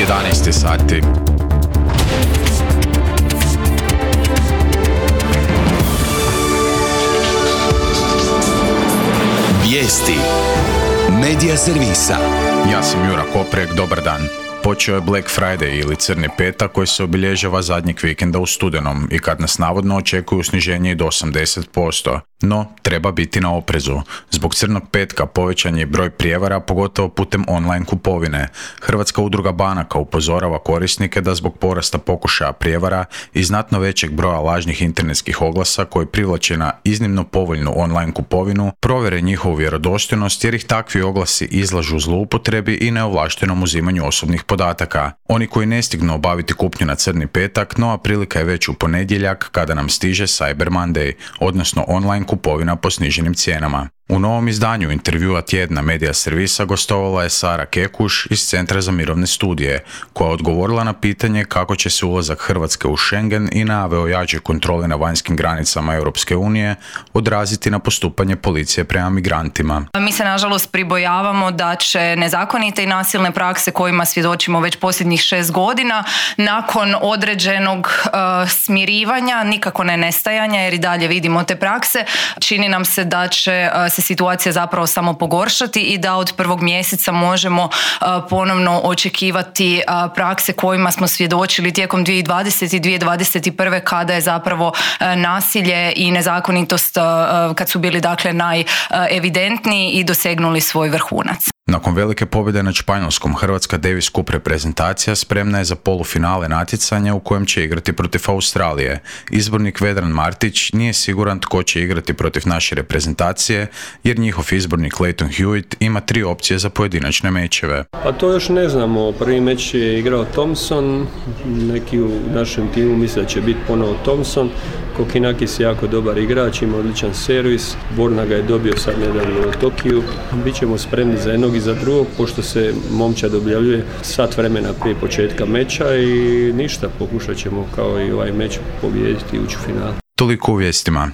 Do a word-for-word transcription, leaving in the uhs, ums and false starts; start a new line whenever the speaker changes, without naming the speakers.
jedanaest sati.
Vijesti Medija servisa.
Ja sam Jura Koprek, dobar dan. Počeo je Black Friday ili crni petak koji se obilježava zadnjeg vikenda u studenom i kad nas navodno očekuju sniženje i do osamdeset posto. No, treba biti na oprezu. Zbog crnog petka povećan je broj prijevara, pogotovo putem online kupovine. Hrvatska udruga banaka upozorava korisnike da zbog porasta pokušaja prijevara i znatno većeg broja lažnih internetskih oglasa koji privlače na iznimno povoljnu online kupovinu, provjere njihovu vjerodostojnost jer ih takvi oglasi izlažu zloupotrebi i neovlaštenom uzimanju osobnih podataka. Oni koji ne stignu obaviti kupnju na crni petak, nova prilika je već u ponedjeljak kada nam stiže Cyber Monday, odnosno online kupovina po sniženim cijenama. U novom izdanju intervjua tjedna Medija servisa gostovala je Sara Kekuš iz Centra za mirovne studije, koja je odgovorila na pitanje kako će se ulazak Hrvatske u Schengen i najave o jačoj kontroli na vanjskim granicama Europske unije odraziti na postupanje policije prema migrantima.
Mi se nažalost pribojavamo da će nezakonite i nasilne prakse kojima svjedočimo već posljednjih šest godina nakon određenog uh, smirivanja, nikako ne nestajanja jer i dalje vidimo te prakse, čini nam se da će uh, se situacija zapravo samo pogoršati i da od prvog mjeseca možemo uh, ponovno očekivati uh, prakse kojima smo svjedočili tijekom dvije tisuće dvadesete i dvije tisuće dvadeset prve kada je zapravo uh, nasilje i nezakonitost uh, kad su bili dakle najevidentniji i dosegnuli svoj vrhunac.
Nakon velike pobjede nad Španjolskom, Hrvatska Davis Cup reprezentacija spremna je za polufinale natjecanja u kojem će igrati protiv Australije. Izbornik Vedran Martić nije siguran tko će igrati protiv naše reprezentacije, jer njihov izbornik Lleyton Hewitt ima tri opcije za pojedinačne mečeve.
Pa to još ne znamo. Prvi meč je igrao Thompson, neki u našem timu misle da će biti ponovo Thompson. Kokinakis je jako dobar igrač, ima odličan servis, Borna ga je dobio sad nedavno u Tokiju. Bićemo spremni za jednog i za drugog, pošto se momčad objavljuje sat vremena prije početka meča i ništa, pokušat ćemo kao i ovaj meč pobijediti i ući u final.
Toliko u vijestima.